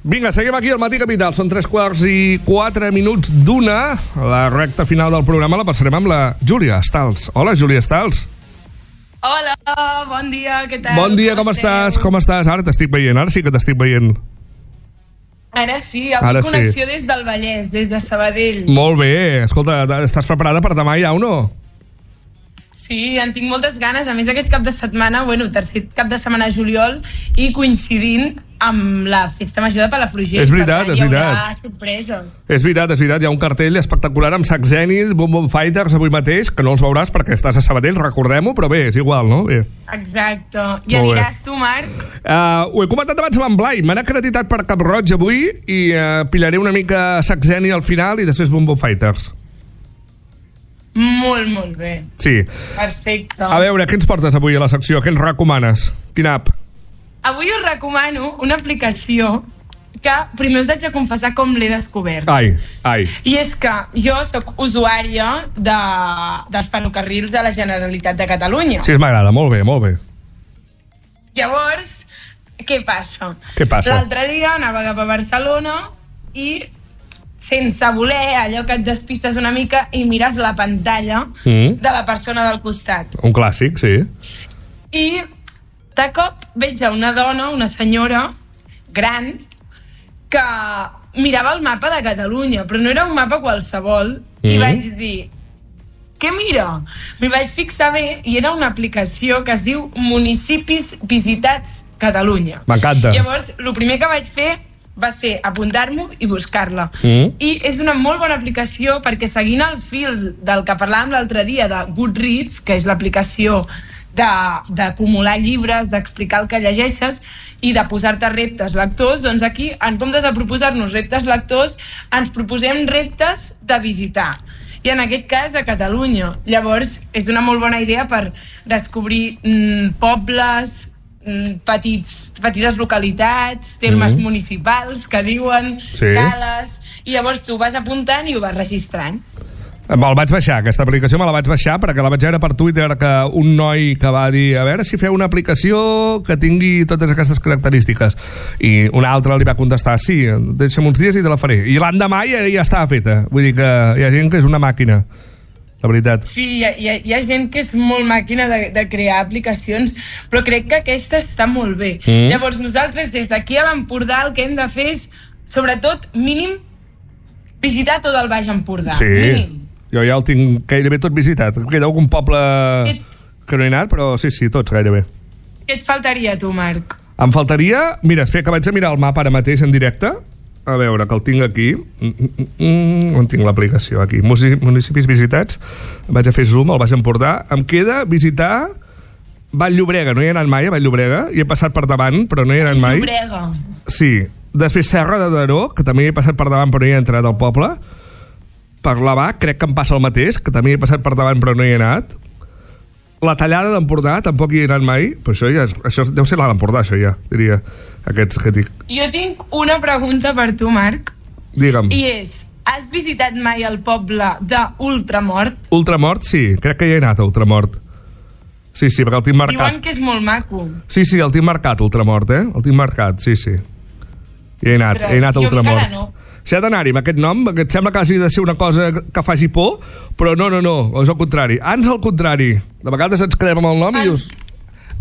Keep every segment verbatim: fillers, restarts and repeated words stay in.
Vinga, seguim aquí al Matí Capital. Són tres quarts i quatre minuts d'una. La recta final del programa la passarem amb la Júlia Stals. Hola, Júlia Stals. Hola, bon dia, què tal? Bon dia, com, com estàs? Com estàs? Ara t'estic veient, ara sí que t'estic veient. Ara sí, avui ara connexió sí. Des del Vallès, des de Sabadell. Molt bé, escolta, estàs preparada per demà ja o no? Sí, en tinc moltes ganes. A més, aquest cap de setmana, bueno, tercer cap de setmana de juliol, i coincidint amb la festa major de Palafrugell. És veritat, és veritat. Hi haurà sorpreses. És veritat, és veritat. Hi ha un cartell espectacular amb Saxenil, Boom Boom Fighters avui mateix, que no els veuràs perquè estàs a Sabadell, recordem-ho, però bé, és igual, no? Bé. Exacte. I aniràs tu, Marc? Uh, ho he comentat abans amb en Blai. M'han acreditat per Cap Roig avui i uh, pillaré una mica Saxenil al final i després Boom Boom Fighters. Molt, molt bé. Sí. Perfecte. A veure, què ens portes avui a la secció? Què ens recomanes? Quina app? Avui us recomano una aplicació que primer us haig de confessar com l'he descobert. Ai, ai. I és que jo sóc usuària de, dels ferrocarrils de la Generalitat de Catalunya. Sí, m'agrada, molt bé, molt bé. Llavors, què passa? Què passa? L'altre dia anava cap a Barcelona i sense voler, allò que et despistes una mica i mires la pantalla mm. de la persona del costat. Un clàssic, sí. I de cop veig a una dona, una senyora gran, que mirava el mapa de Catalunya, però no era un mapa qualsevol, mm. i vaig dir, què mira? M'hi vaig fixar bé i era una aplicació que es diu Municipis Visitats Catalunya. M'encanta. Llavors, el primer que vaig fer va ser apuntar-m'ho i buscar-la. Mm. I és una molt bona aplicació perquè seguint el fil del que parlàvem l'altre dia de Goodreads, que és l'aplicació d'acumular llibres, d'explicar el que llegeixes i de posar-te reptes lectors, doncs aquí, en comptes de proposar-nos reptes lectors, ens proposem reptes de visitar. I en aquest cas, a Catalunya. Llavors, és una molt bona idea per descobrir mm, pobles, petits, petites localitats, termes mm. municipals que diuen, sí. Cales, i llavors tu vas apuntant i ho vas registrant. Me'l vaig baixar, aquesta aplicació me la vaig baixar perquè la vaig veure per Twitter que un noi que va dir a veure si feu una aplicació que tingui totes aquestes característiques i un altre li va contestar sí, deixa'm uns dies i te la faré, i l'endemà ja, ja estava feta, vull dir que hi ha gent que és una màquina. La veritat. Sí, hi ha, hi ha gent que és molt màquina de, de crear aplicacions, però crec que aquesta està molt bé. Mm. Llavors, nosaltres, des d'aquí a l'Empordà, el que hem de fer és, sobretot, mínim, visitar tot el Baix Empordà. Sí, mínim. Jo ja el tinc gairebé tot visitat. Queda algun poble et... que no he anat, però sí, sí, tots gairebé. Què et faltaria, tu, Marc? Em faltaria... Mira, espera, que vaig a mirar el mapa ara mateix en directe. A veure, que el tinc aquí. Mm, mm, on tinc l'aplicació? Aquí. Municipis visitats. Vaig a fer zoom al Baix Empordà. Em queda visitar Vall-llobrega. No hi he anat mai a Vall-llobrega. Hi he passat per davant, però no hi he anat mai. Vall-llobrega. Sí. Després Serra de Daró, que també hi he passat per davant, però no hi he entrat al poble. Per Lavà, crec que em passa el mateix, que també hi he passat per davant, però no hi he anat. La Tallada d'Empordà, tampoc hi he anat mai, però això, ja és, això deu ser l'Alt Empordà, això ja, diria, aquests que dic. Jo tinc una pregunta per tu, Marc. Digue'm. I és, has visitat mai el poble d'Ultramort? Ultramort, sí, crec que hi he anat a Ultramort. Sí, sí, perquè el tinc marcat. Diuen que és molt maco. Sí, sí, el tinc marcat, Ultramort, eh? El tinc marcat, sí, sí. Hi he anat, Ostres, he anat a Ultramort. Jo encara no. Si ha d'anar-hi amb aquest nom, que et sembla que hagi de ser una cosa que faci por, però no, no, no, és al contrari. Ans al contrari. De vegades ens quedem amb el nom ans... i dius...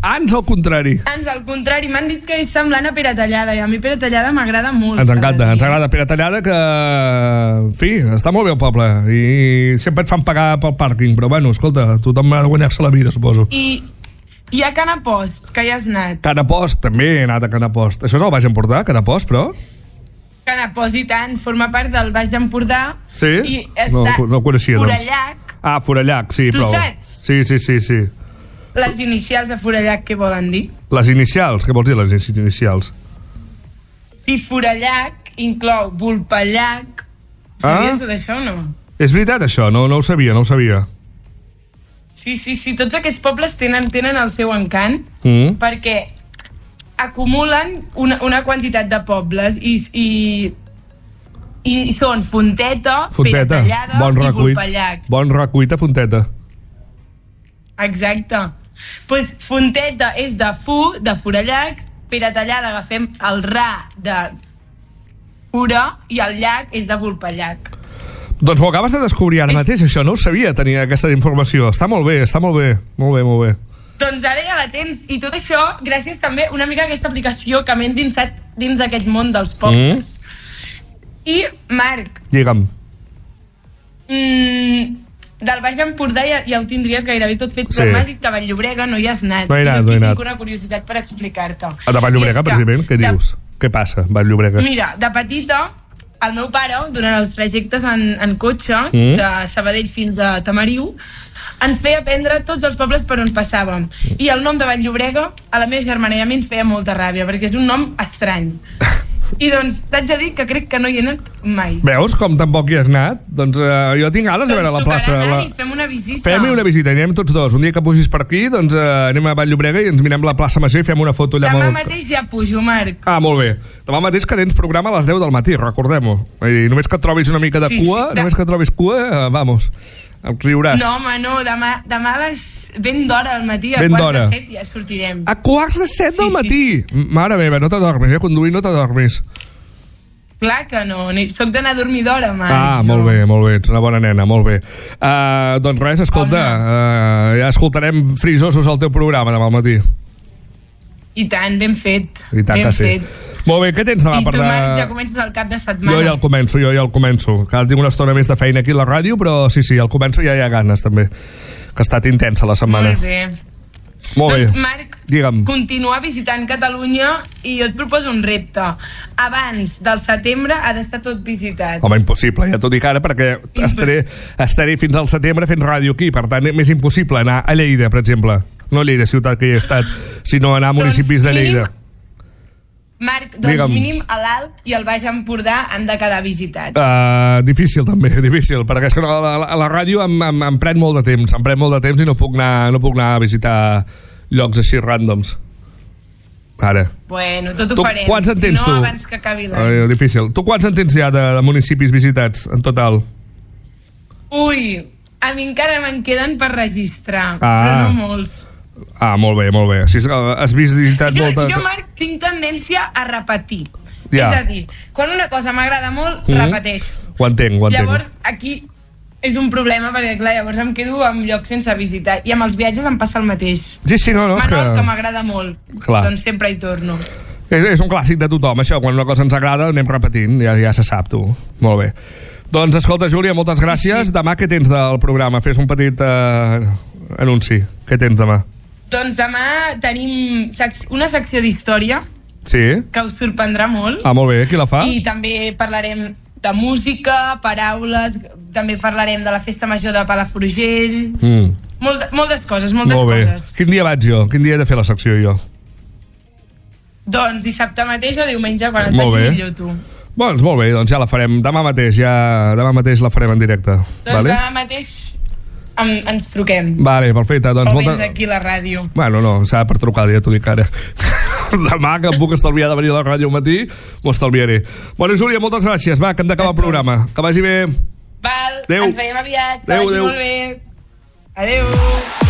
Ans al contrari. Ans al contrari. M'han dit que és semblant a Pere Tallada, i a mi Pere Tallada m'agrada molt. Ens encanta, ens agrada Pere Tallada, que... En fi, està molt bé el poble, i sempre et fan pagar pel pàrquing, però bueno, escolta, tothom ha de guanyar-se la vida, suposo. I... Hi ha Canapost, que hi has anat. Canapost, també he anat a Canapost. Això és el Baix Empordà, Canapost, però... Canapost i tant, forma part del Baix Empordà. Sí? I està no, no ho coneixia, Forallac. Doncs. Ah, Forallac, sí. Tu però... saps? Sí, sí, sí, sí. Les inicials de Forallac, què volen dir? Les inicials? Què vols dir, les inicials? Sí, Forallac inclou Vulpellac. Sabies ah? d'això o no? És veritat, això? No, no ho sabia, no ho sabia. Sí, sí, sí, tots aquests pobles tenen, tenen el seu encant, mm. perquè acumulen una, una quantitat de pobles i, i, i són Fonteta, Fonteta. Pere Tallada bon i recuit. Vulpellac. Bon recuit a Fonteta. Exacte. Pues Fonteta és de Fu, de Forallac, Pere Tallada agafem el Ra de obscura i el llac és de Vulpellac. Doncs m'ho acabes de descobrir ara mateix, això, no ho sabia, tenir aquesta informació. Està molt bé, està molt bé, molt bé, molt bé. Doncs ara ja la tens, i tot això gràcies també una mica a aquesta aplicació que m'he endinsat dins d'aquest món dels pobles. Mm. I, Marc... Digue'm. Mm, del Baix Empordà ja, ja ho tindries gairebé tot fet, però Sí. m'has dit que a Vall-llobrega no hi has anat. No he anat, I no he aquí anat. tinc una curiositat per explicar-te. A de Vall-llobrega, precisament, què de- dius? Què passa, Vall-llobrega? Mira, de petita, el meu pare, durant els trajectes en, en cotxe, Mm. de Sabadell fins a Tamariu, ens feia aprendre tots els pobles per on passàvem. I el nom de Vall-llobrega a la meva germana i a mi ens feia molta ràbia, perquè és un nom estrany. I doncs t'haig de dir que crec que no hi he anat mai. Veus com tampoc hi has anat? Doncs uh, jo tinc ganes de veure la plaça. Doncs tocarà La... anar-hi, fem una visita. Fem-hi una visita, anirem tots dos. Un dia que pugis per aquí, doncs uh, anem a Vall-llobrega i ens mirem la plaça Major i fem una foto allà. Demà molt... mateix ja pujo, Marc. Ah, molt bé. Demà mateix que tens programa a les deu del matí, recordem-ho. I només que et trobis una mica de Sí, cua, sí, de- només que et trobis cua, uh, vamos, em riuràs. No, home, no, demà, demà a les ben d'hora al matí, a Ben quarts d'hora. de set ja sortirem. A quarts de set Sí, del sí, matí! Mare meva, no t'adormis, eh? Conduir no t'adormis. Clar que no, ni- soc d'anar a dormir d'hora, Marc. Ah, jo. molt bé, molt bé, ets una bona nena, molt bé. Uh, doncs res, escolta, uh, ja escoltarem frisosos al teu programa demà al matí. I tant, ben fet. I tant ben que sí. fet. Molt bé, què tens demà I per tu, de... Marc, ja comences el cap de setmana. Jo ja el començo, jo ja el començo. Que ara tinc una estona més de feina aquí a la ràdio, però sí, sí, el començo ja hi ha ganes, també. Que ha estat intensa la setmana. Molt bé. Molt doncs, bé. Marc, Digue'm. continua visitant Catalunya i jo et proposo un repte. Abans del setembre ha d'estar tot visitat. Home, impossible, ja t'ho dic ara, perquè estaré, estaré fins al setembre fent ràdio aquí, per tant, és impossible anar a Lleida, per exemple. No a Lleida, ciutat que hi he estat, sinó anar a municipis Doncs de Lleida. mínim- Marc, doncs Digue'm. mínim a l'Alt i al Baix Empordà han de quedar visitats. Uh, difícil també, difícil, perquè és que a la, a la ràdio em, em, em pren molt de temps, em pren molt de temps i no puc anar, no puc anar a visitar llocs així ràndoms. Ara. Bueno, tot ho Tu, farem. quants en tens si tu? no, abans que acabi l'any. Uh, difícil. Tu quants en tens ja de, de municipis visitats en total? Ui, a mi encara me'n queden per registrar, Ah. però no molts. Ah, molt bé, molt bé. Si has visitat Jo, molta... jo, Marc, tinc tendència a repetir. Ja. És a dir, quan una cosa m'agrada molt, Mhm. repeteixo. Ho entenc, ho entenc. Llavors, aquí és un problema, perquè clar, llavors em quedo en llocs sense visitar. I amb els viatges em passa el mateix. Sí, sí, no, no, és Menorca, que... que m'agrada molt. Clar. Doncs sempre hi torno. És, és un clàssic de tothom, això. Quan una cosa ens agrada, anem repetint. Ja, ja se sap, tu. Molt bé. Doncs, escolta, Júlia, moltes gràcies. Sí. Demà què tens del programa? Fes un petit eh, anunci. Què tens demà? Doncs demà tenim sec- una secció d'història Sí? que us sorprendrà molt. Ah, molt bé. Qui la fa? I també parlarem de música, paraules, també parlarem de la festa major de Palafrugell, Mm. molt, moltes coses, moltes Molt bé. coses. Quin dia vaig jo? Quin dia he de fer la secció jo? Doncs dissabte mateix o diumenge, quan et Molt vagi bé. millor tu. Doncs molt bé, doncs ja la farem. Demà mateix, ja... Demà mateix la farem en directe. Doncs vale? demà mateix em, ens truquem. Vale, perfecte. Doncs O molta... vens aquí a la ràdio. Bueno, no, serà per trucar, ja t'ho dic ara. Demà, que em puc estalviar de venir a la ràdio al matí, m'ho estalviaré. Bueno, Júlia, moltes gràcies. Va, que hem d'acabar el programa. Que vagi bé. Val, Adéu. ens veiem aviat, que Adéu, vagi adéu. molt bé. Adéu.